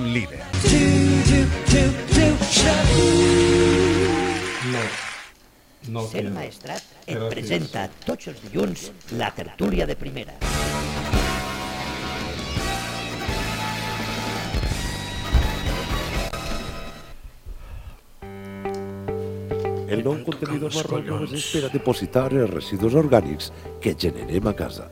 un líder. No Ser Maestrat et presenta tots els dilluns la tertúlia de primera. El nou contenidor marró només espera depositar els residus orgànics que generem a casa.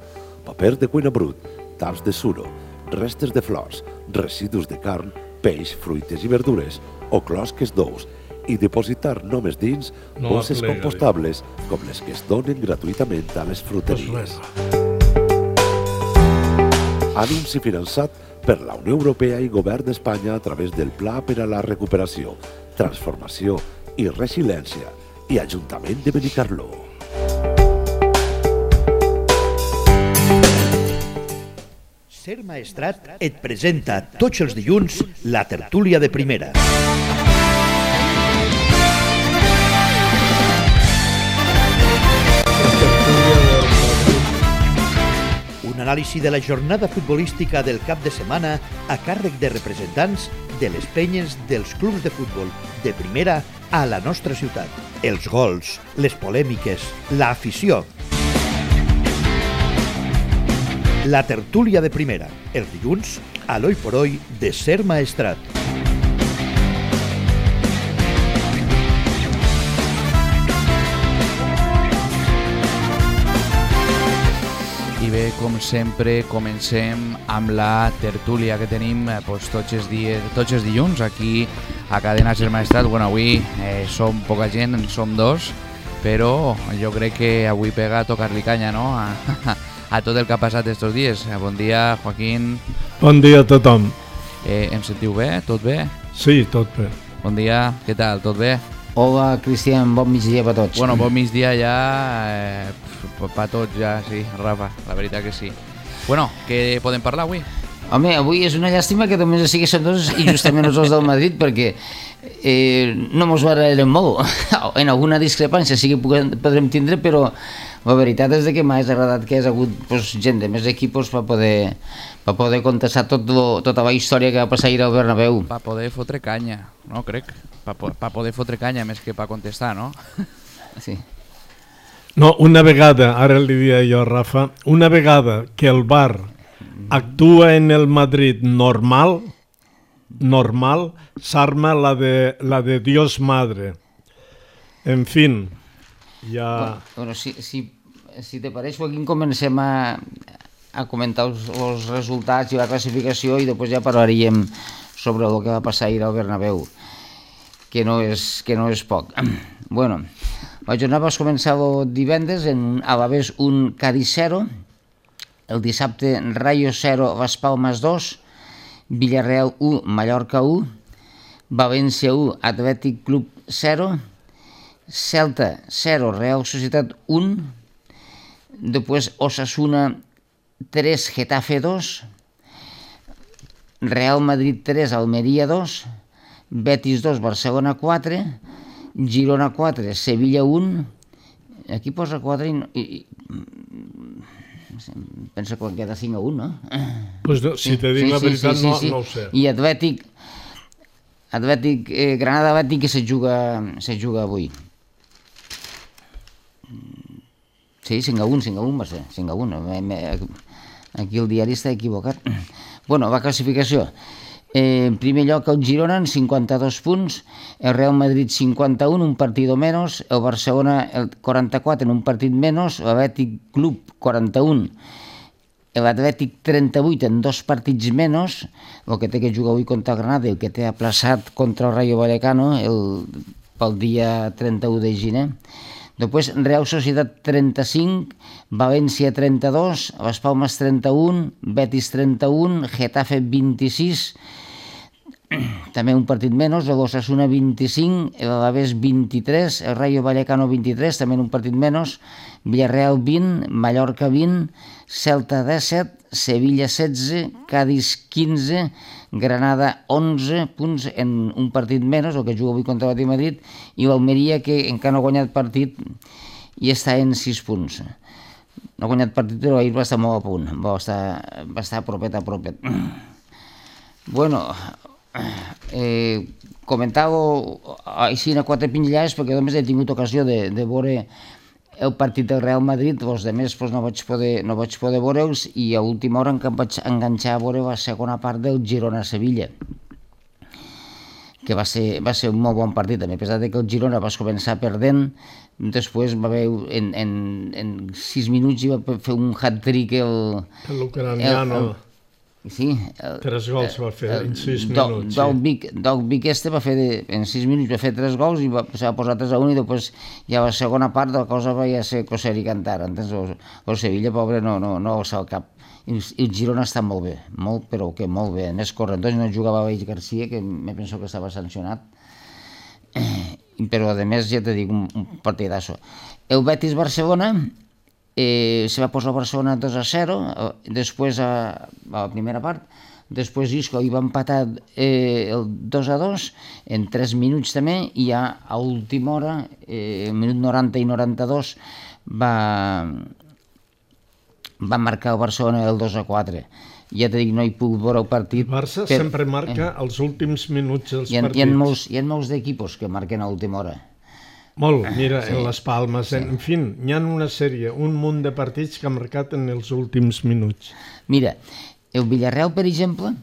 Paper de cuina brut, taps de suro, restes de flors, residus de carn, peix, fruites i verdures o closques d'ous i depositar només dins bosses compostables com les que es donen gratuïtament a les fruteries. Anunci finançat per la Unió Europea i Govern d'Espanya a través del Pla per a la Recuperació, Transformació i Resiliència i Ajuntament de Benicarló. Ser Maestrat et presenta tots els dilluns la tertúlia de primera. Un anàlisi de la jornada futbolística del cap de setmana a càrrec de representants de les penyes dels clubs de futbol de primera a la nostra ciutat. Els gols, les polèmiques, l'afició. La tertúlia de primera, els dilluns, a l'Oi por Hoy de Ser Maestrat. I bé, com sempre, comencem amb la tertúlia que tenim tots els dilluns aquí a Cadena Ser Maestrat. Bueno, avui som poca gent, som dos, però jo crec que avui pega a tocar-li canya, no?, a tot el que ha passat estos dies. Bon dia, Joaquín. Bon dia a tothom. Em sentiu bé? Tot bé? Sí, tot bé. Bon dia, què tal? Tot bé? Hola, Cristian, bon migdia per tots. Bueno, bon migdia ja, per tots ja, sí, Rafa, la veritat que sí. Bueno, què podem parlar avui? Home, avui és una llàstima que només sigui som dos i justament els dos del Madrid, perquè no mos barallarem molt. En alguna discrepància sí que podrem tindre, però la veritat és que m'ha agradat que hi ha hagut gent de més equipos per poder contestar tota la història que va passar ahir al Bernabéu. Per poder fotre canya, no crec? Per poder fotre canya més que per contestar, no? Sí. No, una vegada, ara li dia jo a Rafa, una vegada que el VAR actua en el Madrid normal, s'arma la de Dios Madre. En fin, ja... Bueno, si te pareix, Joaquín, comencem a comentar els resultats i la classificació i després ja parlaríem sobre el que va passar ahir al Bernabéu, que no és poc. Bueno, la jornada va començar el divendres en Alavés 1, Cádiz 0, el dissabte Rayo 0, Las Palmas 2, Villarreal 1, Mallorca 1, València 1, Atlètic Club 0, Celta 0, Real Societat 1, després Osasuna 3, Getafe 2, Real Madrid 3, Almeria 2, Betis 2, Barcelona 4, Girona 4, Sevilla 1, aquí posa 4 i penso que queda 5-1, no? Pues no, si te dic la veritat no ho sé. I Atlètic Granada Atlètic que se juga avui. Sí, 5-1 va ser, 5-1. Aquí el diari està equivocat. Bueno, la classificació. En primer lloc el Girona en 52 punts, el Real Madrid 51, un partido menos, el Barcelona el 44 en un partit menos, l'Atlètic Club 41, l'Atlètic 38 en 2 partits menos, el que té que jugar avui contra el Granada i el que té aplaçat contra el Rayo Vallecano pel dia 31 de gener. Després Real Societat 35, València 32, Las Palmas 31, Betis 31, Getafe 26, també un partit menys, l'Osasuna 25, l'Alavés 23, el Rayo Vallecano 23, també un partit menys, Villarreal 20, Mallorca 20, Celta 17, Sevilla 16, Cádiz 15, Granada 11 punts en un partit menys, el que juga avui contra l'Atlètic de Madrid, i l'Almeria, que encara no ha guanyat partit i està en 6 punts. No ha guanyat partit, però ahir va estar molt a punt, va estar propet. Bueno, comentàveu així a quatre pinzellades perquè només he tingut ocasió de veure el partit del Real Madrid, els altres no vaig poder veure'ls, i a última hora em vaig enganxar a veure la segona part del Girona-Sevilla, que va ser un molt bon partit, a pesar que el Girona va començar perdent, després va haver en 6 minuts i va fer un hat-trick l'ucraniano. Sí, 3 gols va fer en 6 minuts. Dogbik va fer en 6 minuts va fer 3 gols i va posar 3-1 i després ja la segona part de la cosa va ser coser i cantar. El Sevilla, pobre, no alça el cap. I el Girona està molt bé, però que molt bé. A més, Correntós no jugava Baix Garcia, que me penso que estava sancionat. Però a més, ja te dic, un partidazo. El Betis-Barcelona se va posar Barcelona 2-0, després a la primera part, després Isco hi va empatar el 2-2 en 3 minuts també, i ja a última hora, minut 90 i 92, va marcar el Barcelona el 2-4. Ja te dic, no hi puc veure el partit. El Barça sempre marca els últims minuts dels partits. Hi ha molts d'equipos que marquen a última hora. Molt, mira, en les Palmes, en fi, hi ha una sèrie, un munt de partits que ha marcat en els últims minuts. Mira, el Villarreal, per exemple,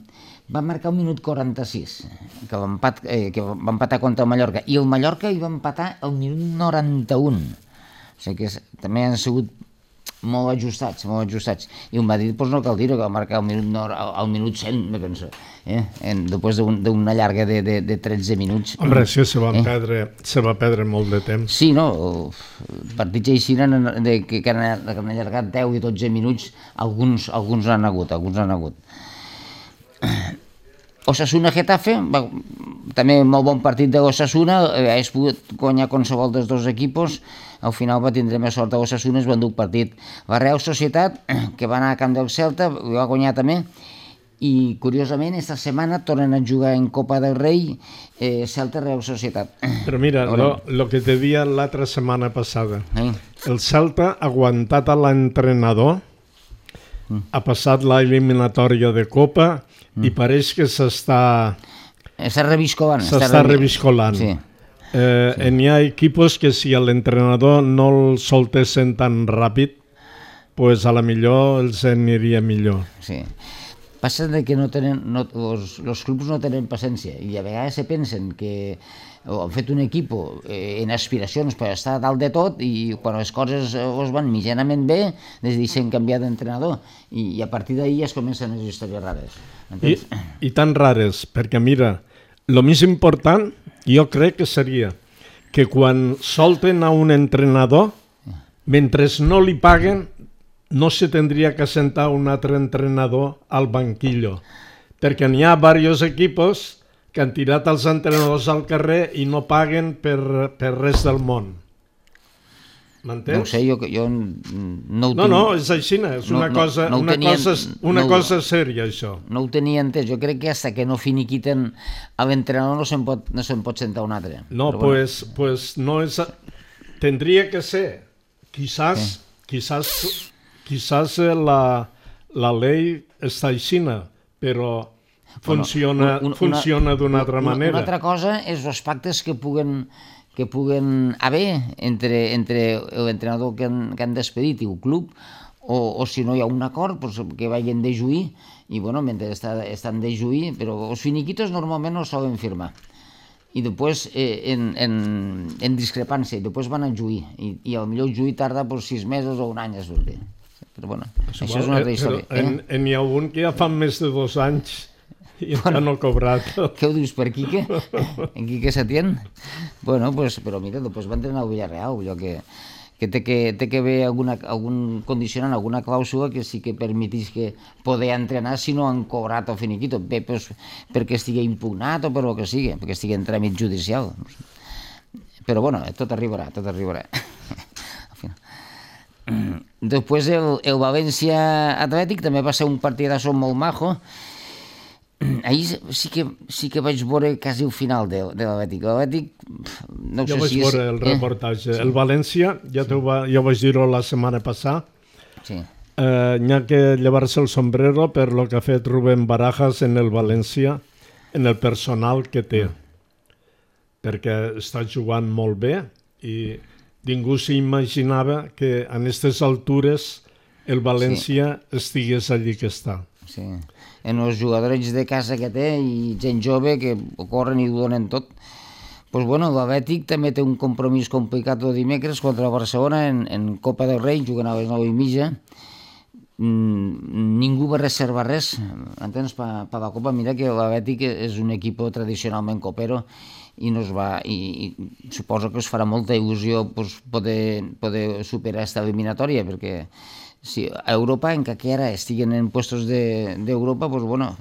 va marcar el minut 46, que va empatar contra el Mallorca, i el Mallorca hi va empatar el minut 91. O sigui que també han sigut molt ajustats. I el Madrid, doncs no cal dir-ho, que va marcar al minut 100, me penso, després d'una llarga de 13 minuts. Hombre, sí, se va perdre molt de temps. Sí, no, partits així que han allargat 10 i 12 minuts, alguns han hagut. Osasuna-Getafe, també molt bon partit de l'Osasuna, hagués pogut guanyar qualsevol dels dos equipos, al final va tindre més sort a l'Osasuna, es va endur el partit. La Real Societat, que va anar a camp del Celta, va guanyar també, i curiosament esta setmana tornen a jugar en Copa del Rei Celta-Real Societat. Però mira, lo que te dia l'altra setmana passada, el Celta ha aguantat a l'entrenador, ha passat l'eliminatòria de Copa i pareix que s'està reviscolant. Sí. Hi ha equipos que si l'entrenador no el soltessin tan ràpid, pues a la millor els aniria millor. Sí. Passa que els clubs no tenen paciència i a vegades se pensen que han fet un equip en aspiracions per estar dalt de tot i quan les coses es van mitjanament bé decideixen canviar d'entrenador i a partir d'ahir es comencen les històries rares. I tan rares, perquè mira, el més important jo crec que seria que quan solten a un entrenador, mentre no li paguen, no se tendria que sentar un altre entrenador al banquillo, perquè n'hi ha diversos equipos que han tirat els entrenadors al carrer i no paguen per res del món. M'entens? No ho sé, jo no ho tinc... No, és així, és una cosa sèria, això. No ho tenia entès, jo crec que hasta que no finiquiten a l'entrenador no se'n pot sentar un altre. No, pues no és... Tendria que ser, quizás la lei està aixina, però funciona d'una altra manera. Una altra cosa és els pactes que puguen haver entre l'entrenador que han despedit i el club, o si no hi ha un acord que vagin de juí, i mentre estan de juí, però els finiquitos normalment no solen firmar. I després en discrepància, i després van a juí, i potser el juí tarda 6 mesos o un any a sortir. Però això és una altra història. N'hi ha un que ja fa més de 2 anys i encara no ha cobrat. Què ho dius, per Quique? En Quique Setién? Però mira, després va entrenar al Villarreal, allò que té que haver algun condicionant, alguna clàusula que sí que permetís que poder entrenar si no han cobrat el finiquito, bé perquè estigui impugnat o per el que sigui, perquè estigui en tràmit judicial. Però tot arribarà. Després el València Atlètic també va ser un partidazo molt majo. Ahir sí que vaig veure quasi el final de l'Atlètic. No sé si és... Jo vaig veure el reportatge. El València, jo vaig dir-ho la setmana passada, n'hi ha que llevar-se el sombrero per lo que ha fet Rubén Barajas en el València, en el personal que té, perquè està jugant molt bé i ningú s'imaginava que en aquestes altures el València estigués allí que està. Sí. En els jugadors de casa que té i gent jove que corren i ho donen tot. Pues bueno, l'Atlètic també té un compromís complicat el dimecres contra el Barcelona en Copa del Rei, jugant a les 9:30. Ningú va reservar res, entens, per la Copa. Mira que l'Atlètic és un equip tradicionalment copero i suposo que us farà molta il·lusió poder superar aquesta eliminatòria, perquè si a Europa encara estiguen en puestos d'Europa, pues bueno,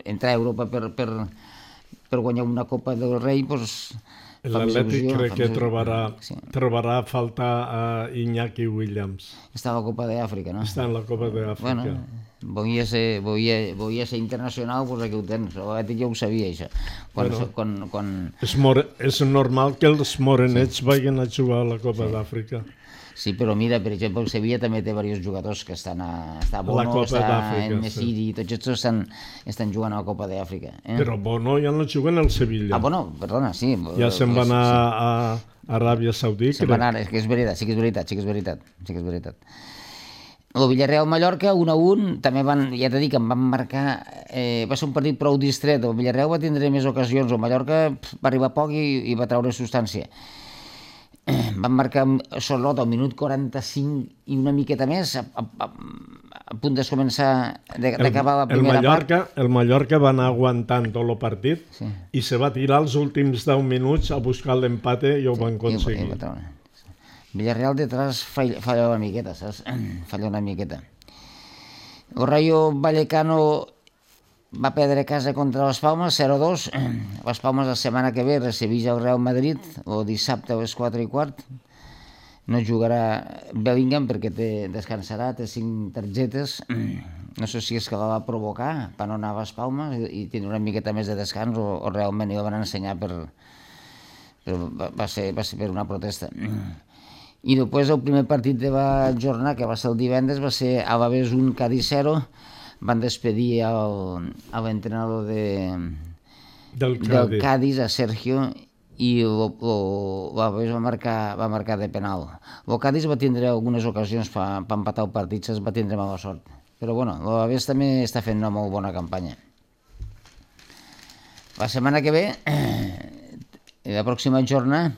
entrar a Europa per guanyar una Copa del Rei, pues l'Atlètic crec que trobarà a faltar a Iñaki Williams. Està a la Copa d'Àfrica, no? Està en la Copa d'Àfrica. Bueno, volia ser internacional, doncs aquí ho tens. L'Atlètic ja ho sabia, això. És normal que els morenets vagin a jugar a la Copa d'Àfrica. Sí, però mira, per exemple, el Sevilla també té diversos jugadors que estan està Bono, està en Nesiri, tots aquests estan jugant a la Copa d'Àfrica. Però Bono ja no juga en el Sevilla. Bono, perdona, sí. Ja se'n va anar a Aràbia Saudita. Se'n va anar, és que és veritat, sí que és veritat. El Villarreal-Mallorca, 1-1, també ja t'he dit que em van marcar, va ser un partit prou distret, el Villarreal va tindre més ocasions, el Mallorca va arribar poc i va treure substància. Van marcar Sorlot al minut 45 i una miqueta més, a punt de començar d'acabar la primera part. El Mallorca va anar aguantant tot el partit i se va tirar els últims 10 minuts a buscar l'empate i ho van aconseguir. Villarreal detrás falla una miqueta, saps? Falla una miqueta. El Rayo Vallecano va perdre casa contra les Palmes, 0-2. Les Palmes la setmana que ve recibeix el Real Madrid, o dissabte a les 4:15. No jugarà Bellingham perquè descansarà, té 5 targetes. No sé si és que la va provocar per no anar a les Palmes i tindre una miqueta més de descans o realment hi la van ensenyar però va ser per una protesta. I després el primer partit de la jornada, que va ser el divendres, va ser Alavés 1, Cádiz 0. Van despedir l'entrenador del Cádiz, a Sergio, i l'Alavés va marcar de penal. El Cádiz va tindre algunes ocasions per empatar el partit, va tindre mala sort. Però bueno, l'Alavés també està fent una molt bona campanya. La setmana que ve, la pròxima jornada,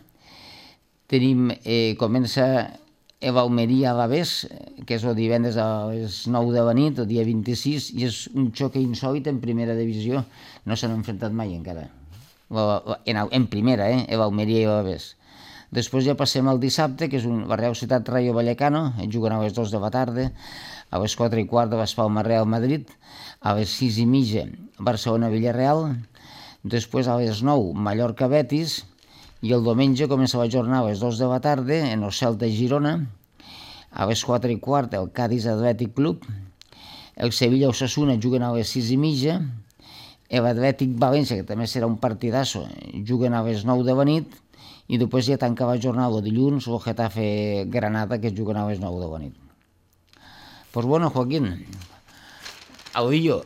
comença l'Almeria-Alavés, que és el divendres a les 9 de la nit, el dia 26, i és un xoc insòlit en primera divisió. No s'han enfrontat mai encara. En primera, l'Almeria i l'Alavés. Després ja passem al dissabte, que és la Real Ciutat Rayo Vallecano, juguen a les 2 de la tarda, a les 4:15 les Palmes Real Madrid, a les 6:30 Barcelona-Villarreal, després a les 9 Mallorca-Betis, i el diumenge comença la jornada a les 2 de la tarda en el Celta-Girona, a les 4:15 el Cádiz Athletic Club, el Sevilla-Osasuna juguen a les 6:30, l'Atlètic València, que també serà un partidasso, juguen a les 9 de la nit, i després ja tanca la jornada el dilluns el Getafe Granada, que juguen a les 9 de la nit. Pues bueno, Joaquín, el lío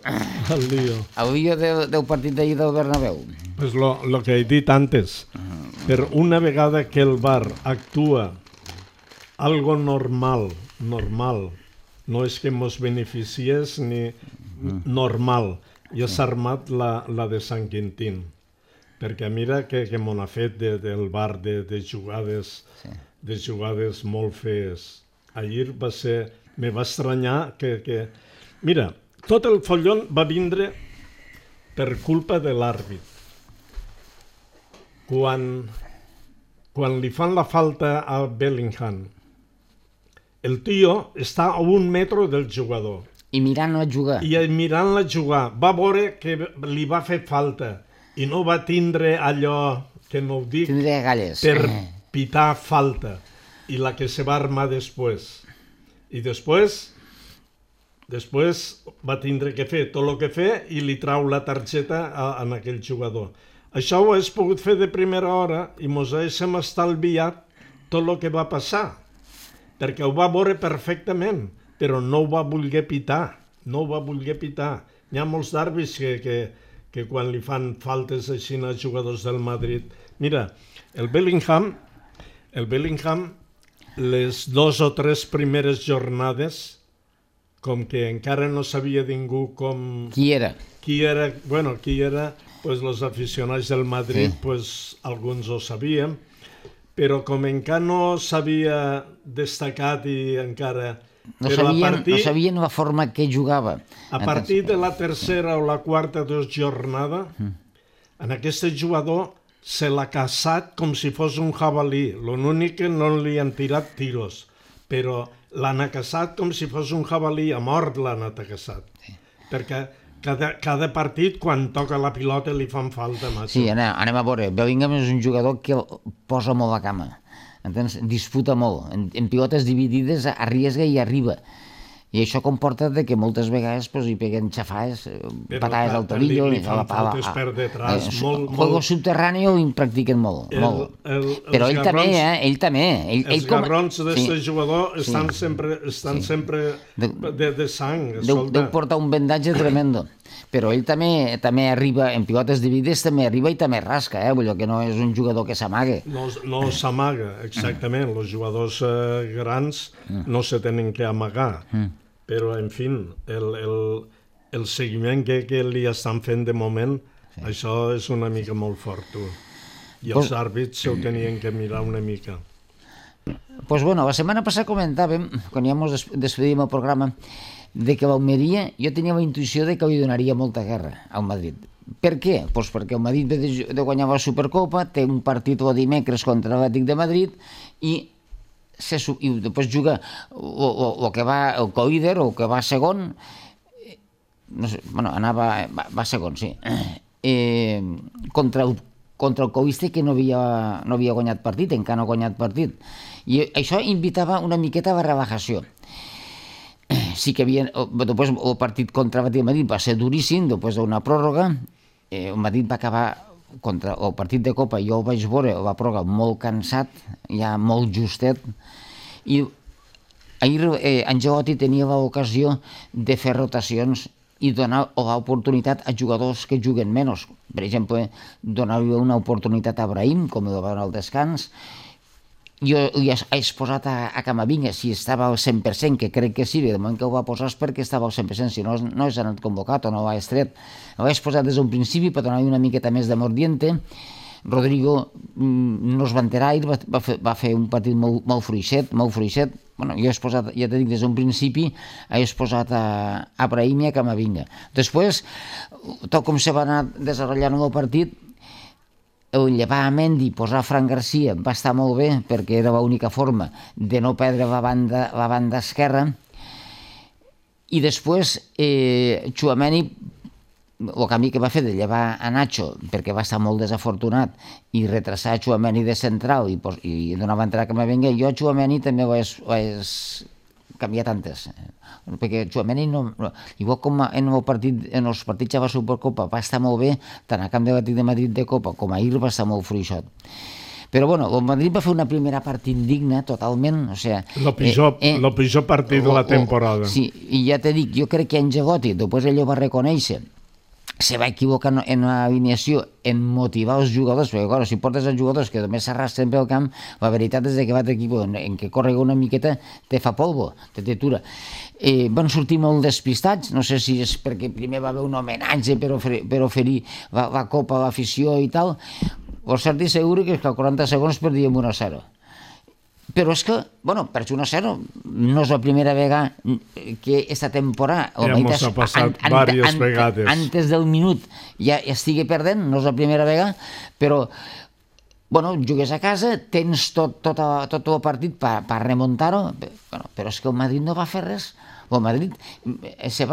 del partit d'ahir del Bernabéu. Pues lo que he dit antes, per una vegada que el VAR actua algo normal, no és que mos beneficiés ni normal, ja s'ha armat la de Sant Quintín, perquè mira que m'ho ha fet del VAR de jugades molt fees. Ahir me va estranyar que mira, tot el follon va vindre per culpa de l'àrbit. Quan li fan la falta a Bellingham, el tio està a 1 metre del jugador. I mirant-la jugar. Va veure que li va fer falta i no va tindre allò, que no ho dic, per pitar falta. I la que se va armar després. I després va tindre que fer tot el que fer i li trau la targeta a aquell jugador. Això ho has pogut fer de primera hora i mos haguéssim estalviat tot el que va passar, perquè ho va veure perfectament, però no ho va voler pitar. Hi ha molts d'àrbits que que quan li fan faltes així als jugadors del Madrid. Mira, el Bellingham, les 2 o 3 primeres jornades, com que encara no sabia ningú com... Qui era? Qui era, pues los aficionats del Madrid, sí. Pues alguns ho sabíem, però com encara no s'havia destacat i encara... No sabien la forma que jugava. A partir de la tercera o la quarta jornada, en aquest jugador se l'ha caçat com si fos un jabalí. L'únic que no li han tirat tiros, però l'han caçat com si fos un jabalí, a mort l'han caçat. Sí. Perquè cada partit, quan toca la pilota, li fan falta. Sí, anem a veure. Bellingham és un jugador que posa molt la cama. Entens? Disputa molt. En pilotes dividides arriesga i arriba. I això comporta que moltes vegades hi peguen xafades, patades al tobillo... Li fan faltes per detrás. Juego subterrani ho practiquen molt. Però ell també. Els garrons d'aquest jugador estan sempre de sang. Deu portar un vendatge tremendo. Però ell també arriba, en pilotes dividides també arriba i també rasca, vull dir que no és un jugador que s'amaga. No s'amaga, exactament. Els jugadors grans no se tenen que amagar. Però, en fi, el seguiment que li estan fent de moment, això és una mica molt fort, tu. I els àrbits ho tenien que mirar una mica. Pues bueno, la setmana passada comentàvem, quan ja ens despedíem el programa, de que l'Almeria, jo tenia la intuïció de que li donaria molta guerra al Madrid. Per què? Pues perquè el Madrid ve de guanyar la Supercopa, té un partit el dimecres contra l'Atlètic de Madrid i després juga el que va el co-líder o el que va segon, no sé, bueno, va segon, sí, contra el co-líder que no havia guanyat partit, encara no ha guanyat partit, i això invitava una miqueta a la relajació. Sí que després el partit contra el Madrid va ser duríssim, després d'una pròrroga, el Madrid va acabar contra el partit de Copa, jo el vaig veure, la pròrroga molt cansat, ja molt justet, i ahir Ancelotti tenia l'ocasió de fer rotacions i donar l'oportunitat a jugadors que juguen menys. Per exemple, donar-li una oportunitat a Brahim, com ho va al descans. Jo li he posat a Camavinga, si estava al 100%, que crec que sí, de moment que ho va posar és perquè estava al 100%, si no és anat convocat o no l'ha estret. Ho he posat des d'un principi per donar-li una miqueta més de mordiente. Rodrigo no es va enterar, va fer un partit molt fluixet. Bueno, jo he posat, ja t'he dit, des d'un principi, he posat a Brahim i a Camavinga. Després, tot com se va anar desenvolupant el partit, el llevar a Mendy, posar Fran Garcia va estar molt bé perquè era l'única forma de no perdre la banda esquerra, i després Tchouaméni, el canvi que va fer de llevar a Nacho perquè va estar molt desafortunat i retrasar Tchouaméni de central i donar entrada a Camavinga, jo a Tchouaméni també ho he canviat antes, perquè Tchouaméni igual com en els partits de la Supercopa va estar molt bé, tant a camp de l'Atlètic de Madrid de Copa com ahir va estar molt fluixot. Però bueno, el Madrid va fer una primera part indigna totalment, o sigui... El pitjor partit de la temporada. Sí, i ja t'he dit, jo crec que Ancelotti, després ell ho va reconèixer, se va equivocar en l'alineació, en motivar els jugadors, perquè clar, si portes els jugadors que només s'arrastren pel camp, la veritat és que l'altre equip en què corre una miqueta te fa polvo, te tura. Van sortir molt despistats, no sé si és perquè primer va haver un homenatge per oferir la copa a l'afició i tal, o cert i segur que a 40 segons perdíem 1-0. Però és que, bueno, per 1-0 no és la primera vegada que aquesta temporada ha passat diverses vegades antes del minut ja estigui perdent, no és la primera vegada, però bueno, jugues a casa, tens tot el partit per remuntar-ho, però és que el Madrid no va fer res. El Madrid se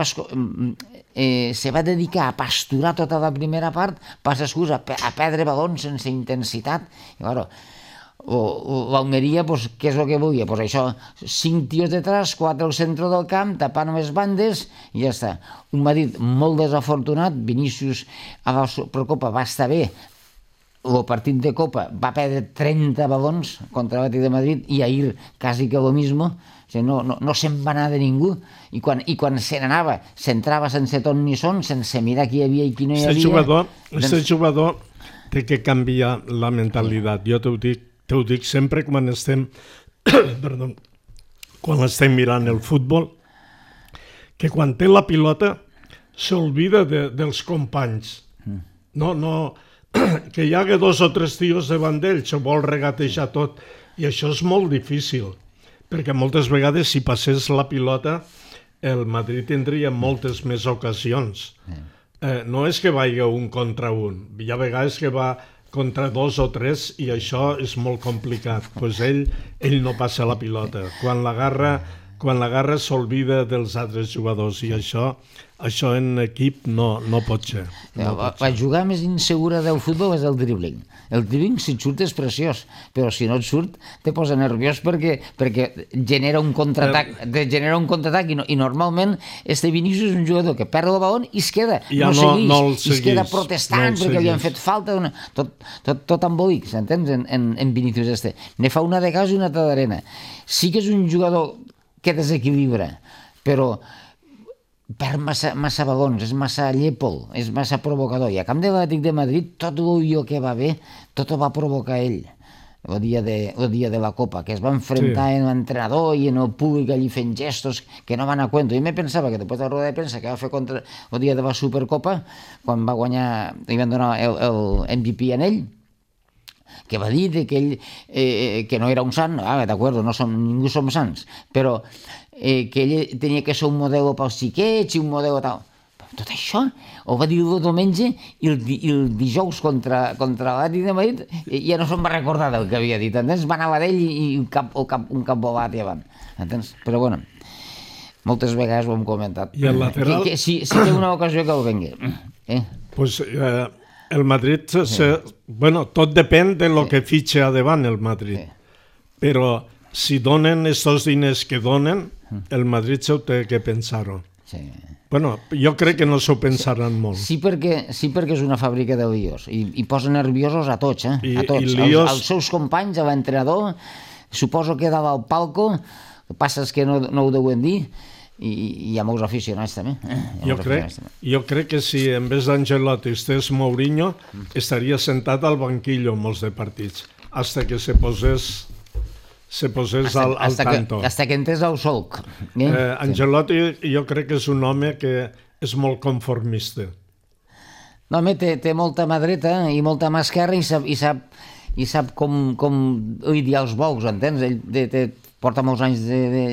va dedicar a pasturar tota la primera part, passa excusa, a perdre balons sense intensitat, i claro, l'Almeria, què és el que volia? Això, 5 tios detrás, 4 al centre del camp, tapant les bandes i ja està. Un Madrid molt desafortunat, Vinícius a la Supercopa va estar bé, el partit de Copa va perdre 30 balons contra l'Atlètic de Madrid i ahir quasi que lo mismo. O sigui, no se'n va anar de ningú. I quan se n'anava, s'entrava sense ton ni son, sense mirar qui hi havia i qui no hi havia. Este jugador té que canviar la mentalitat. Jo t'ho dic sempre quan estem quan estem mirant el futbol, que quan té la pilota s'olvida dels companys. No, que hi hagi 2 o 3 tios davant d'ell, se vol regatejar tot, i això és molt difícil, perquè moltes vegades si passés la pilota el Madrid tindria moltes més ocasions. No és que vagi un contra un, hi ha vegades que va contra 2 o 3 i això és molt complicat. Pues ell no passa la pilota. Quan l'agarra s'olvida dels altres jugadors i això en equip no pot ser. La jugada més insegura del futbol és el dribbling. El dribbling, si et surt, és preciós, però si no et surt, te posa nerviós perquè genera un contraatac i normalment este Vinícius és un jugador que perd el balón i es queda, es queda protestant perquè li han fet falta, tot embolic, s'entens, en Vinícius este. Ne fa una de gas i una altra d'arena. Sí que és un jugador que desequilibra, però perd massa balons, és massa llépol, és massa provocador. I a camp de l'Atlètic de Madrid, tot el que va bé, tot ho va provocar ell. El dia de la Copa, que es va enfrentar en l'entrenador i en el públic allí fent gestos que no van a cuento. Jo me pensava que després de la roda de premsa que va fer contra el dia de la Supercopa, quan va guanyar, li van donar el MVP a ell, que va dir que ell que no era un sant, d'acord, ningú som sants, però que ell tenia que ser un model pels xiquets i un model tal. Tot això ho va dir el diumenge i el dijous contra l'Atlètic de Madrid ja no se'n va recordar del que havia dit, entens? Va anar a l'ell i un cap volat i avant, entens? Però bueno, moltes vegades ho hem comentat. I el lateral? Si té una ocasió que el vengui. Pues el Madrid, bueno, tot depèn de lo que fitxa a davant el Madrid, però si donen estos diners que donen, el Madrid s'ho té que pensar-ho. Bueno, jo crec que no s'ho pensaran molt. Sí, perquè és una fàbrica de líos i posa nerviosos a tots, a tots. Als seus companys, a l'entrenador, suposo que dalt al palco, el que passa és que no ho deuen dir, i hi ha molts aficionats també. Jo crec que si en vez d'Ancelotti estés Mourinho, estaria sentat al banquillo molts de partits, hasta que se posés al tanto. Hasta que entrés al solc. Ancelotti jo crec que és un home que és molt conformista. No, home, té molta mà dreta i molta mà esquerra i sap com lidiar els bous, entens? Ell porta molts anys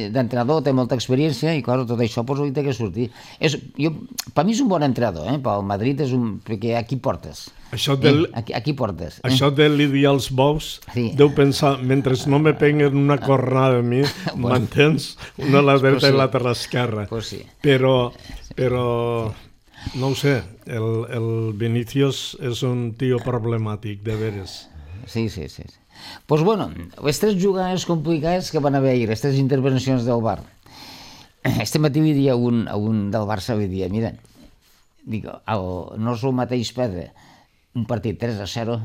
d'entrenador, té molta experiència i clar, tot això li té que sortir. Per mi és un bon entrenador, pel Madrid és perquè aquí portes. Aquí portes. Això de lidiar els bous, deu pensar, mentre no me peguen una cornada a mi, m'entens? Una a la dreta i l'altra a l'esquerra. Però, no ho sé, el Vinícius és un tio problemàtic, de veres. Sí. Pues bueno, les 3 jugades complicades que van haver ahir, les 3 intervencions del VAR. Este matí li dia un del Barça, li dia, mira, no és el mateix perdre un partit 3-0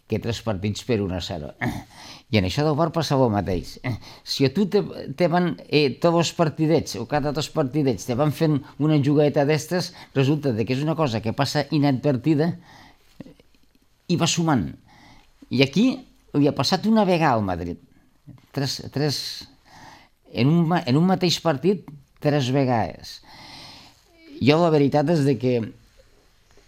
que 3 partits per 1-0. I en això del VAR passava el mateix. Si a tu te van, tots els partidets, o cada 2 partidets, te van fent una jugadeta d'estes, resulta que és una cosa que passa inadvertida i va sumant. I aquí li ha passat una vegada al Madrid. En un mateix partit, 3 vegades. Jo la veritat és que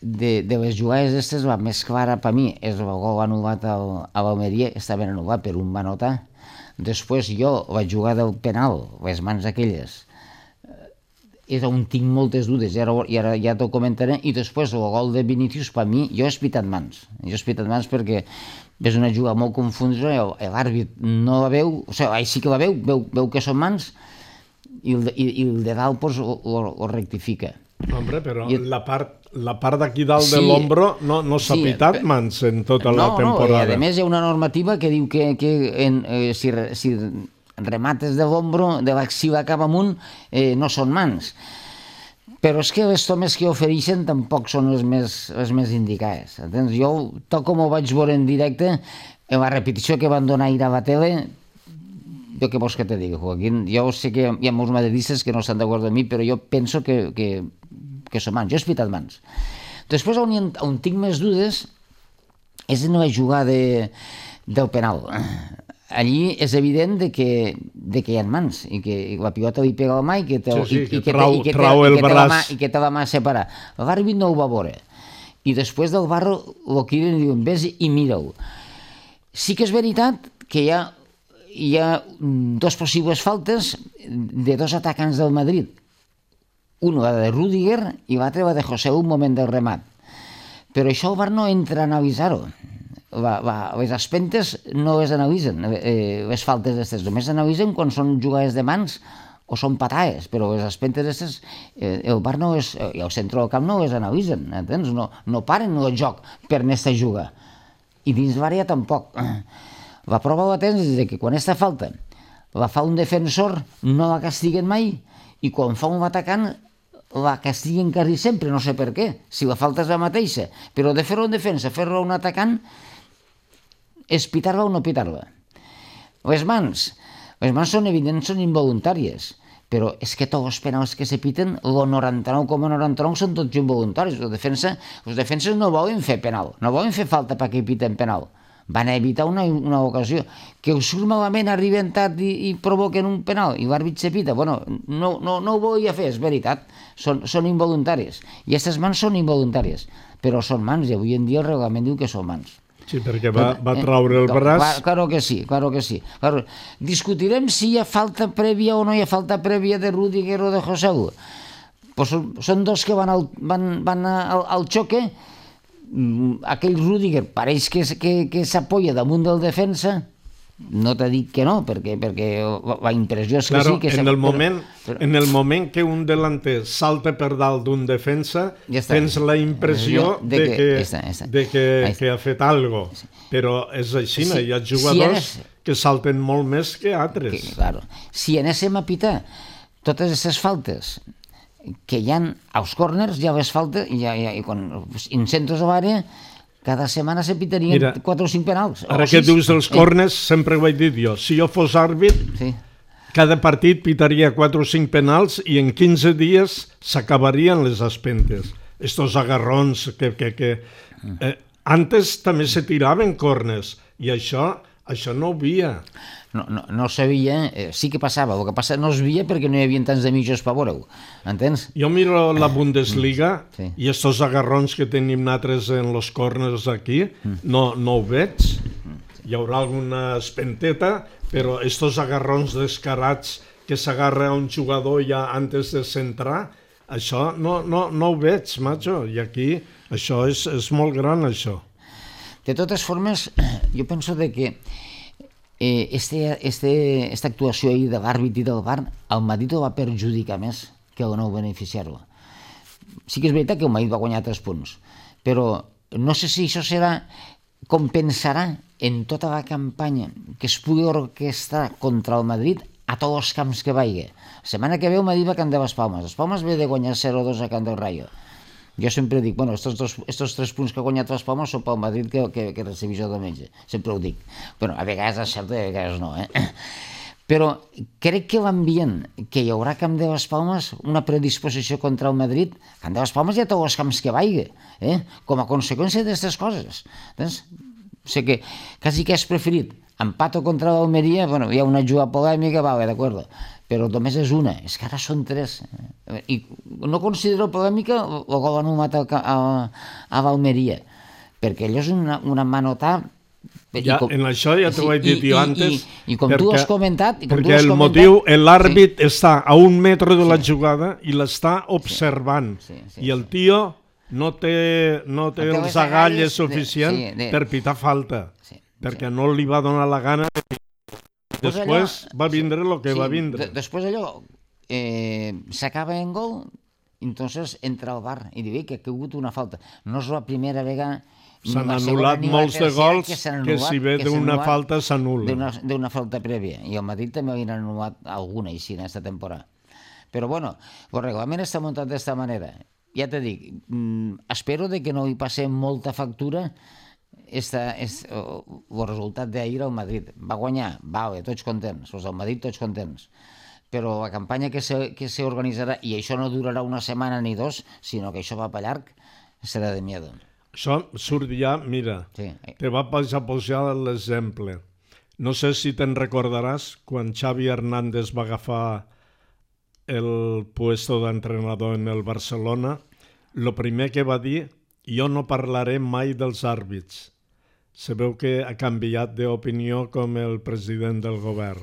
de les jugades aquestes la més clara per mi és el gol anul·lat a l'Almeria, està ben anul·lat per un va notar. Després jo, la jugada del penal, les mans aquelles, és on tinc moltes dudes i ara ja t'ho comentaré. I després el gol de Vinícius, per mi, jo he espitat mans perquè és una jugada molt confusa, l'àrbit no la veu, o sigui, sí que la veu que són mans i el de dalt ho rectifica. Hombre, però la part d'aquí dalt de l'ombro no s'ha pitat mans en tota la temporada. No, i a més hi ha una normativa que diu que si remates de l'ombro, de l'axil cap amunt, no són mans. Però és que les tomes que ofereixen tampoc són les més indicades. Entens? Jo, tal com ho vaig veure en directe, en la repetició que van donar ahir a la tele, jo què vols que te digui, Joaquín? Jo sé que hi ha molts madridistes que no estan d'acord amb mi, però jo penso que són mans. Jo he espitat mans. Després, on tinc més dudes és en la jugada del penal. Allí és evident que hi ha mans i que la pilota li pega al mà i que té la mà separada. L'àrbit no ho va veure. I després del barro lo criden i diuen vés i mira-ho. Sí que és veritat que hi ha dos possibles faltes de dos atacants del Madrid. Una de Rüdiger i l'altra la de José un moment del remat. Però això el VAR no entra a analitzar-ho. Les espentes no les analitzen, les faltes d'aquestes. Només analitzen quan són jugades de mans o són patades, però les espentes d'aquestes, el VAR no és, i el centre del camp no les analitzen, entens? No paren el joc per aquesta juga. I dins l'àrea tampoc. La prova la tens és que quan aquesta falta la fa un defensor no la castiguen mai i quan fa un atacant la castiguen quasi sempre, no sé per què, si la falta és la mateixa, però de fer-ho en defensa, fer-ho un atacant, és pitar-la o no pitar-la. Les mans són evidents, són involuntàries, però és que tots els penals que se piten, el 99,99 són tots involuntaris. Els defenses no volen fer penal, no volen fer falta perquè piten penal. Van evitar una ocasió. Que us surt malament, arribentat i provoquen un penal i l'àrbit se pita. Bueno, no ho volia fer, és veritat. Són involuntàries. I aquestes mans són involuntàries. Però són mans i avui en dia el reglament diu que són mans. Sí, perquè va traure el braç. Claro que sí. Claro. Discutirem si hi ha falta prèvia o no hi ha falta prèvia de Rüdiger o de José Lu. Pues són dos que van al xoque. Aquell Rüdiger pareix que s'apoya damunt del defensa. No t'he dit que no, perquè la impressió és que sí. Que en el moment que un delanter salta per dalt d'un defensa, tens la impressió de que ha fet alguna cosa. Però és així, hi ha jugadors que salten molt més que altres. Si anéssim a pitar totes aquestes faltes que hi ha als córners, ja les faltes, i quan en centres a l'àrea, cada setmana se pitarien 4 o 5 penals. Ara que dius dels córners, sempre ho he dit jo, si jo fos àrbit, cada partit pitaria 4 o 5 penals i en 15 dies s'acabarien les espentes. Estos agarrons que antes també se tiraven córners i això no ho havia. No sabia, sí que passava, el que passa no es veia perquè no hi havia tants de mitjos per veure-ho, entens? Jo miro la Bundesliga i estos agarrons que tenim nosaltres en los corners aquí, no ho veig. Hi haurà alguna espenteta, però estos agarrons descarats que s'agarra a un jugador ja antes de centrar, això no ho veig, macho, i aquí això és molt gran, això. De totes formes, jo penso que aquesta actuació ahir de l'àrbit i del VAR el Madrid ho va perjudicar més que no beneficiar-lo. Sí que és veritat que el Madrid va guanyar 3 punts, però no sé si això compensarà en tota la campanya que es pugui orquestrar contra el Madrid a tots els camps que vagi. La setmana que ve el Madrid va a Camp de les Palmes. Les Palmes ve de guanyar 0-2 a Camp del Rayo. Jo sempre dic, estos 3 punts que ha guanyat les Palmes són pel Madrid que recibís el diumenge. Sempre ho dic. A vegades és cert i a vegades no. Però crec que l'ambient que hi haurà a Camp de les Palmes, una predisposició contra el Madrid, a Camp de les Palmes hi ha tots els camps que vagi, com a conseqüència d'aquestes coses. Sé que quasi que has preferit empat o contra l'Almeria, hi ha una jugada polèmica, d'acord, però només és una, és que ara són 3. I no considero polèmica el gol anul·lat a l'Almeria, perquè allò és una manotà. En això ja t'ho he dit jo antes. I com tu has comentat... Perquè el motiu, l'àrbit està a 1 metre de la jugada i l'està observant. I el tio no té els agalles suficients per pitar falta, perquè no li va donar la gana. Després va vindre el que va vindre. Després allò s'acaba en gol, entonces entra al VAR i diu que ha hagut una falta. No és la primera vegada... S'han anul·lat molts de gols que si ve d'una falta s'anul·la. D'una falta prèvia. I al Madrid també havien anul·lat alguna així en aquesta temporada. Però bueno, el reglament està muntat d'esta manera. Ja te dic, espero de que no hi passem molta factura el resultat d'ahir al Madrid. Va guanyar, vale, tots contents, els del Madrid tots contents. Però la campanya que s'organitzarà, i això no durarà una setmana ni dos, sinó que això va per llarg, serà de miedo. Això surt ja, mira, Sí. te va posar l'exemple. No sé si te'n recordaràs quan Xavi Hernández va agafar el puesto d'entrenador en el Barcelona, lo primer que va dir, jo no parlaré mai dels àrbits. Se veu que ha canviat d'opinió com el president del govern.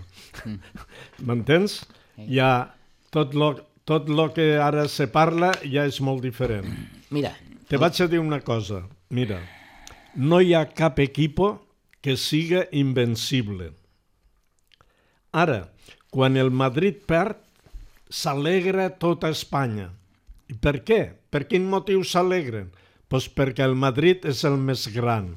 M'entens? Ja tot lo que ara se parla ja és molt diferent. Mira, Te vaig a dir una cosa. Mira, no hi ha cap equipo que siga invencible. Ara, quan el Madrid perd, s'alegra tota Espanya. I per què? Per quin motiu s'alegren? Pues perquè el Madrid és el més gran.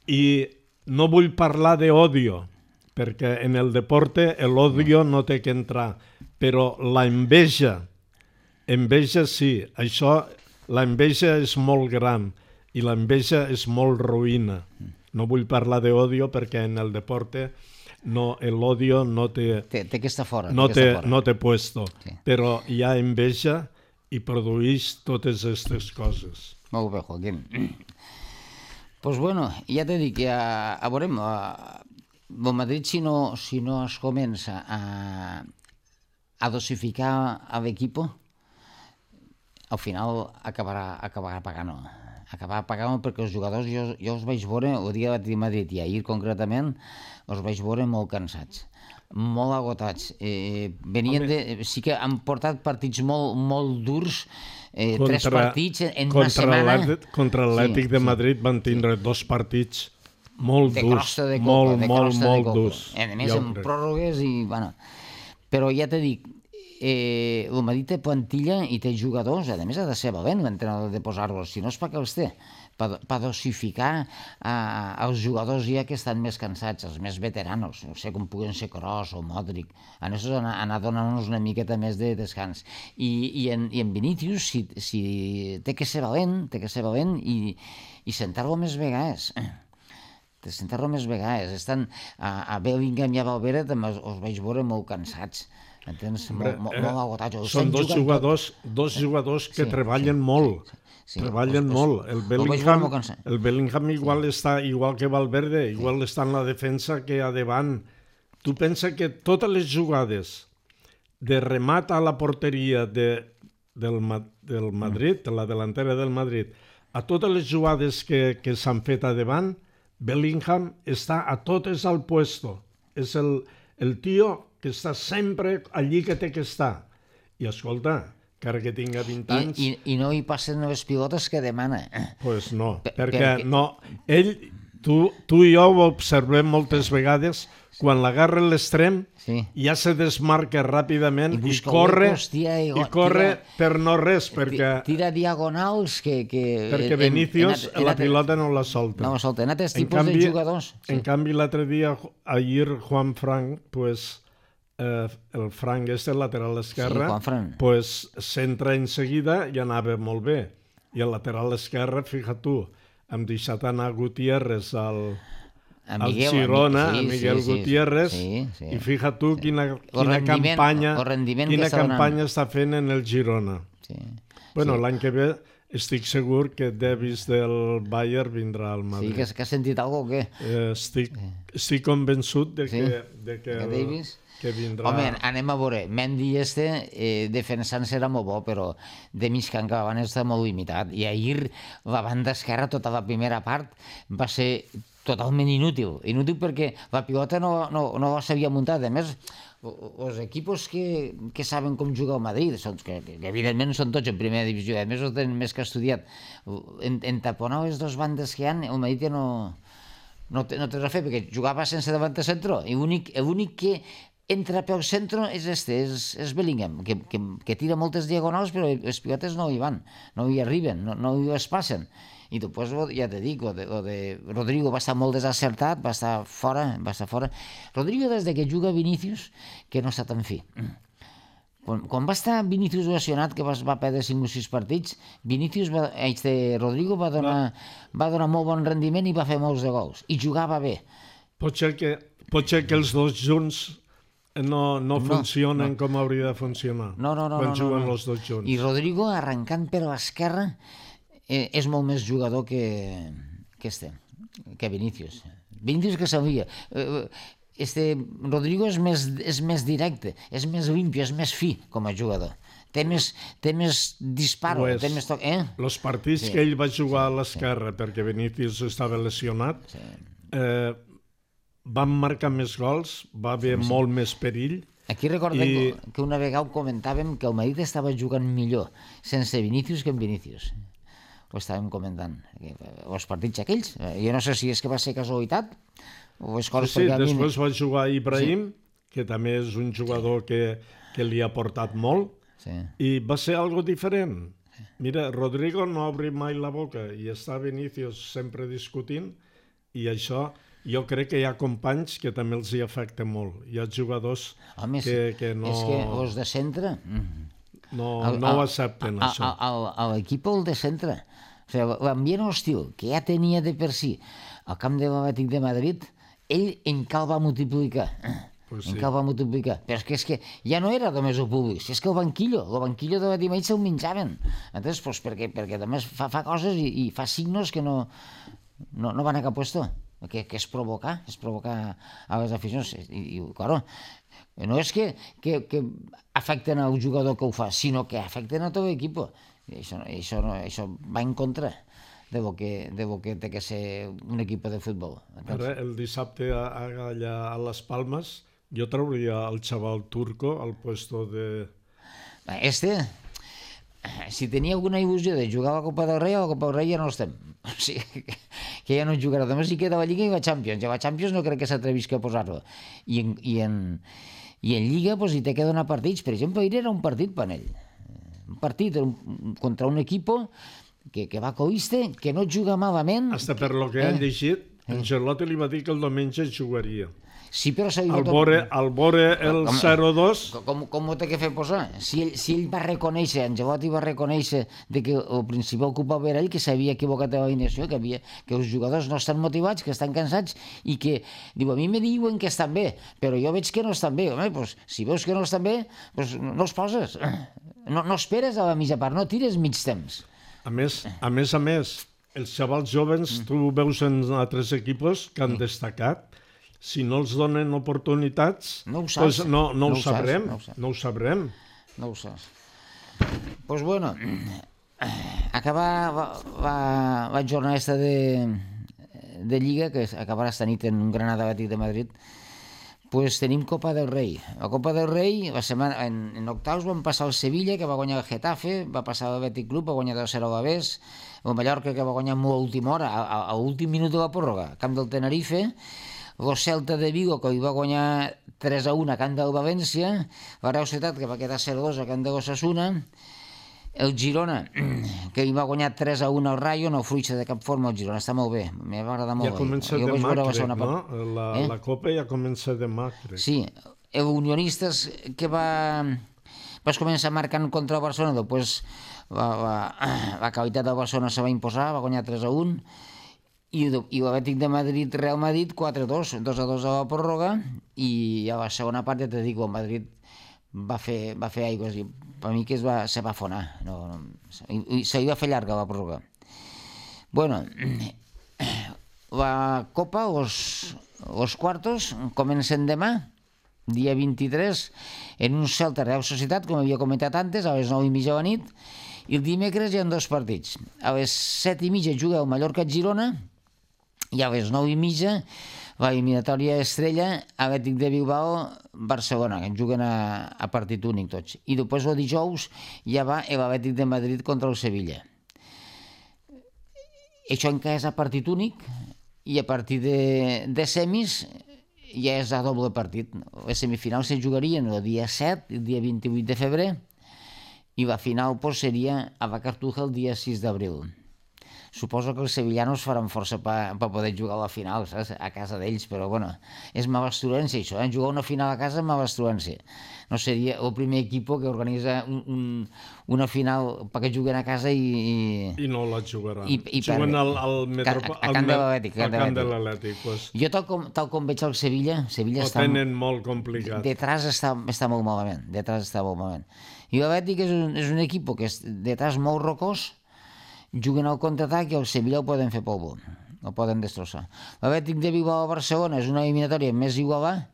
I no vull parlar d'odio, perquè en el deporte l'odio no té que entrar, però la enveja sí, això, la enveja és molt gran i la enveja és molt ruïna. No vull parlar d'odio perquè en el deporte l'odio no té... té que estar fora. No té puesto, Sí. però hi ha enveja i produeix totes aquestes coses. Molt bé, Joaquín. Pues bueno, ja t'he dit que veurem, el Madrid si no es comença a dosificar a l'equipo, al final acabarà pagant-ho. Acabarà pagant-ho perquè els jugadors, jo els vaig veure, el dia de Madrid i ahir concretament, els vaig veure molt cansats, molt agotats. Sí que han portat partits molt durs, 3 partits en una setmana. Contra l'Atlètic de Madrid van tindre 2 partits molt durs, molt durs. A més, amb pròrrogues i... Bueno, però ja t'he dit, el Madrid té plantilla i té jugadors, a més ha de ser valent l'entrenador de posar-los, si no és perquè els té, per dosificar els jugadors ja que estan més cansats, els més veteranos, no sé com puguen ser Kroos o Modric, a nosaltres anar donant-nos una miqueta més de descans. I en Vinícius, si té que ser valent i sentar-lo més vegades. Estan a Bellingham i a Valverde també els vaig veure molt cansats. Entens? Molt agotats. Són dos jugadors que treballen molt. Treballen molt. El Bellingham igual està igual que Valverde, igual està en la defensa que a davant. Tu pensa que totes les jugades de remat a la porteria del Madrid, de la delantera del Madrid, a totes les jugades que s'han fet a davant, Bellingham està a totes al puesto. És el tio que està sempre allí que té que estar. I escolta, encara que tinga 20 anys... I no hi passen les pilotes que demana. Pues no, perquè no. Ell, tu i jo ho observem moltes vegades, quan l'agarra l'extrem, ja se desmarca ràpidament i corre per no res, perquè... Tira diagonals que... Perquè Vinícius la pilota no la solta. No la solta, en altres tipus de jugadors. En canvi, l'altre dia, ahir, Juan Fran, pues... el Frank el lateral esquerre, pues s'entra en seguida i anava molt bé. I el lateral esquerre, fixa't tu, hem deixat anar Gutiérrez al Girona, a Miguel Gutiérrez, i fixa't tu quina campanya està fent en el Girona. Bueno, l'any que ve estic segur que Davis del Bayern vindrà al Madrid. Sí, que has sentit alguna cosa o què? Estic convençut de que Davis... vindrà... Home, anem a veure, Mendy defensant serà molt bo, però de mig camp que va estar molt limitat, i ahir la banda esquerra, tota la primera part, va ser totalment inútil perquè la pilota no la sabia muntar. A més, els equipos que saben com jugar al Madrid, que evidentment són tots en primera divisió, a més ho tenen més que estudiat, en taponar les dues bandes que hi ha, el Madrid ja no té res a fer, perquè jugava sense davant de centre, i l'únic que entra pel centre és Bellingham, que tira moltes diagonals, però les pilotes no hi van, no hi arriben, no hi es passen. I després, ja te dic, lo de Rodrigo va estar molt desacertat, va estar fora. Rodrigo, des que juga Vinícius, que no està tan fi. Quan va estar Vinícius lesionat, que va perdre 5 o 6 partits, Rodrigo va donar molt bon rendiment i va fer molts de gols. I jugava bé. Pot ser que els dos junts no funcionen com hauria de funcionar. Quan juguen els dos junts. I Rodrigo, arrencant per l'esquerra, és molt més jugador que Vinícius. Vinícius que sabia. Rodrigo és més directe, és més limpio, és més fi com a jugador. Té més disparo, té més toc. Els partits que ell va jugar a l'esquerra perquè Vinícius estava lesionat, van marcar més gols, va haver molt més perill. Aquí recordem que una vegada ho comentàvem que el Madrid estava jugant millor sense Vinícius que amb Vinícius. Ho estàvem comentant. Els partits aquells, jo no sé si és que va ser casualitat o és coses... Sí, després va jugar Ibrahim, que també és un jugador que li ha portat molt, i va ser algo diferent. Mira, Rodrigo no obri mai la boca i està Vinícius sempre discutint, i això jo crec que hi ha companys que també els hi afecta molt. Hi ha jugadors que no... És que els de centre... No ho accepten, això. L'equip el de centre. L'ambient hostil que ja tenia de per si al camp de l'Atlètic de Madrid, ell encara va multiplicar. Però és que ja no era només el públic, és que el banquillo de la Madrid se'l menjaven. Entens? Perquè també fa coses i fa signos que no van a cap puesto, que és provocar a les aficions. I claro, no és que afecten al jugador que ho fa, sinó que afecten a tot l'equip. Això va en contra de lo que té que ser un equip de futbol. Ara, el dissabte allà a Les Palmes, jo trauria el xaval turco al puesto de... Si tenia alguna il·lusió de jugar a la Copa del Rei, a la Copa del Rei ja no estem. O sigui, que ja no jugarà. Només hi queda la Lliga i la Champions. I a la Champions no crec que s'atrevisca a posar-lo. I en Lliga hi té que donar partits. Per exemple, ahir era un partit per ell. Un partit contra un equip que va coiste, que no juga malament... Hasta per lo que han llegit, Ancelotti li va dir que el diumenge jugaria. Sí, però al veure el 0-2... Com ho té que fer posar? Si ell va reconèixer, Ancelotti va reconèixer que el principal culpable era ell, que s'havia equivocat de l'alineació, que els jugadors no estan motivats, que estan cansats, i que, diu, a mi me diuen que estan bé, però jo veig que no estan bé. Home, doncs, si veus que no estan bé, doncs no els poses. No esperes a la mitja part, no tires mig temps. A més, els xavals jovens, tu veus en altres equips que han destacat, si no els donen oportunitats, no ho sabrem. No ho saps. Doncs bueno, acabar la jornada de Lliga, que acabarà esta nit en un Granada Atlètic de Madrid, pues tenim Copa del Rei. La Copa del Rei, en octaus van passar el Sevilla, que va guanyar el Getafe, va passar l'Atlètic Club, va guanyar 2-0 a l'Avés, el Mallorca, que va guanyar molt a última hora, a l'últim minut de la pròrroga, camp del Tenerife, el Celta de Vigo, que hi va guanyar 3-1 a camp del València, la Real Societat, que va quedar 0-2 a camp de l'Osasuna, el Girona, que hi va guanyar 3-1 al Rayo, no fruixa de cap forma el Girona, està molt bé, m'ha agradat molt. Ja comença demà, crec, no? La Copa ja comença demà, crec. Sí, el Unionistes, que vas començar marcant contra el Barcelona, després la qualitat del Barcelona se va imposar, va guanyar 3-1, i l'Atlètic de Madrid, Real Madrid, 4-2, 2-2 a la pròrroga, i a la segona part, ja te dic, el Madrid va fer aigües, i per mi que se va afonar, i se li va fer llarga la pròrroga. Bueno, la Copa, els quartos, comencen demà, dia 23, en un Celta Real Societat, com havia comentat antes, a les 9:30 de la nit, i el dimecres hi ha 2 partits. A les 7:30 juga el Mallorca-Girona, i a les 9:30 la eliminatòria estrella Atlètic de Bilbao-Barcelona, que juguen a partit únic tots. I després el dijous ja va l'Atlètic de Madrid contra el Sevilla. Això encara és a partit únic, i a partir de semis ja és a doble partit. Les semifinals se jugarien el dia 7 i el dia 28 de febrer, i la final seria a la Cartuja el dia 6 d'abril. suposo que els sevillanos faran força per poder jugar a la final, saps? A casa d'ells, però bueno, és m'abastruència això, jugar una final a casa és m'abastruència. No seria el primer equip que organitza una final perquè juguen a casa i no la jugaran. Juguen al camp de l'Atlètic. Jo tal com veig el Sevilla ho tenen molt complicat. Detrás està molt malament. I l'Atlètic és un equip que és detrás molt rocós, juguen al contraatac i el Sevilla ho poden fer polvo, ho poden destrossar. L'Atlètic de Bilbao a Barcelona és una eliminatòria més igualada,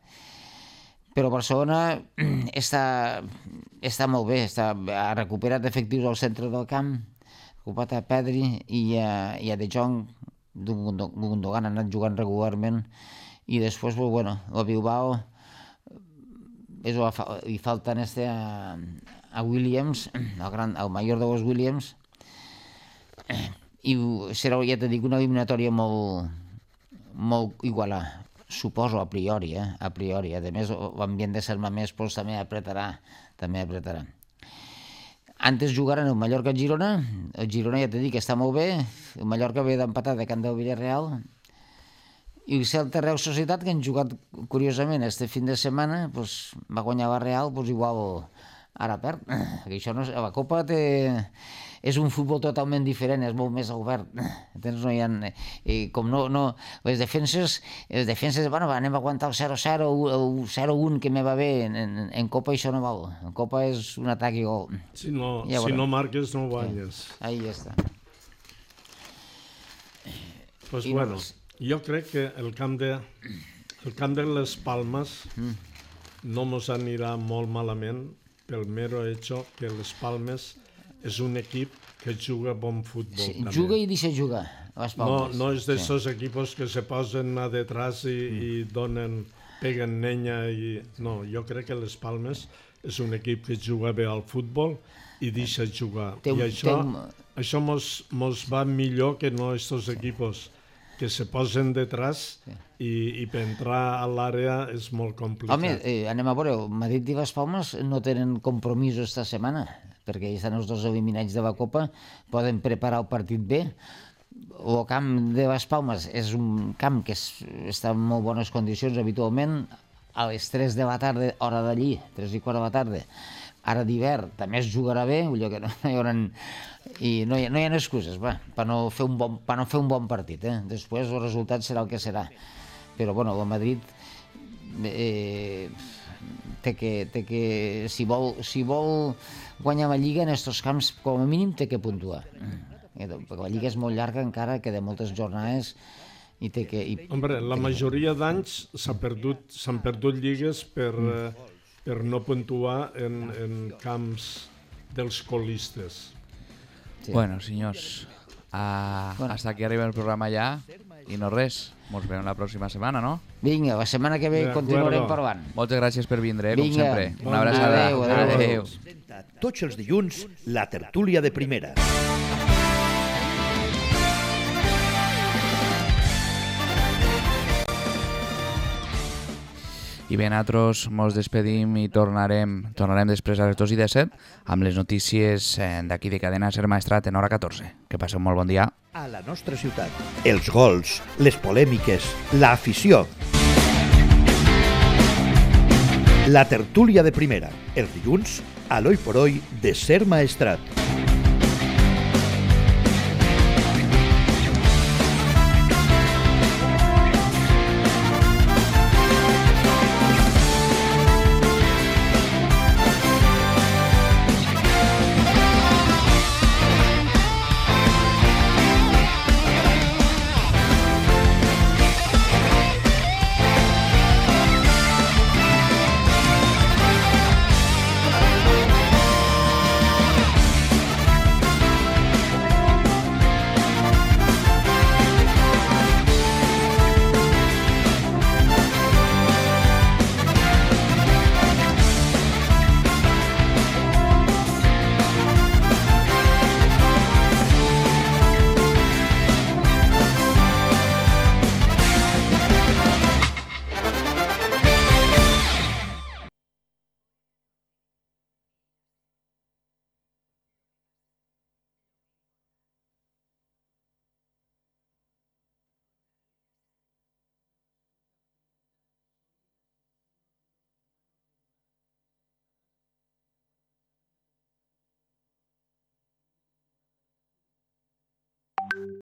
però Barcelona està molt bé, ha recuperat efectius al centre del camp, ha recuperat a Pedri i a De Jong, Gundogan ha anat jugant regularment, i després, bueno, a Bilbao li falten a Williams, el major de los Williams, i serà, ja t'he dit, una eliminatòria molt igualada. Suposo, a priori. A més, l'ambient de Serma Més també apretarà. Antes jugaren el Mallorca-Girona. El Girona, ja t'he dit, que està molt bé. El Mallorca ve d'empatar de camp del Villarreal. I el Celta Real Societat, que han jugat, curiosament, este fin de setmana, va guanyar la Real, igual ara perd. La Copa és un futbol totalment diferent, és molt més obert. Les defenses, anem a aguantar el 0-0, el 0-1 que me va bé. En Copa això no val. En Copa és un atac i gol. Si no marques, no guanyes. Ahí ja està. Pues bueno, jo crec que el camp de les Palmes no mos anirà molt malament pel mero hecho que les Palmes és un equip que juga bon futbol. Sí, juga i deixa jugar, les Palmes. No és d'esos equipos que se posen a detrás i peguen nenya. No, jo crec que les Palmes és un equip que juga bé al futbol i deixa jugar. I això mos va millor que no estos equipos que se posen detrás i per entrar a l'àrea és molt complicat. Home, anem a veure, Madrid i les Palmes no tenen compromisos esta setmana, perquè estan els dos eliminats de la Copa, poden preparar el partit bé. El camp de les Palmes és un camp que està en molt bones condicions habitualment, a les 3 de la tarda, hora d'allí, 3:15 de la tarda. Ara d'hivern també es jugarà bé, que no hi ha excuses per no fer un bon partit. Després el resultat serà el que serà. Però bueno, el Madrid té que, si vol guanyar la Lliga en aquests camps, com a mínim té que puntuar. Perquè la Lliga és molt llarga encara, queda moltes jornades i té que... Hombre, la majoria d'anys s'han perdut lligues per no puntuar en camps dels colistes. Sí. Bueno, senyors, hasta aquí arriba el programa ja i no res, ens veiem la pròxima setmana, no? Vinga, la setmana que ve continuarem parlant. Moltes gràcies per vindre, com sempre. Una abraçada. Adéu. Tots els dilluns, la tertúlia de primera. I bé, nosaltres ens despedim i tornarem després a les 2:17 amb les notícies d'aquí de Cadena Ser Maestrat en hora 14. Que passeu molt bon dia. A la nostra ciutat, els gols, les polèmiques, l'afició. La tertúlia de primera, els dilluns, a l'Oi por Hoy de Ser Maestrat.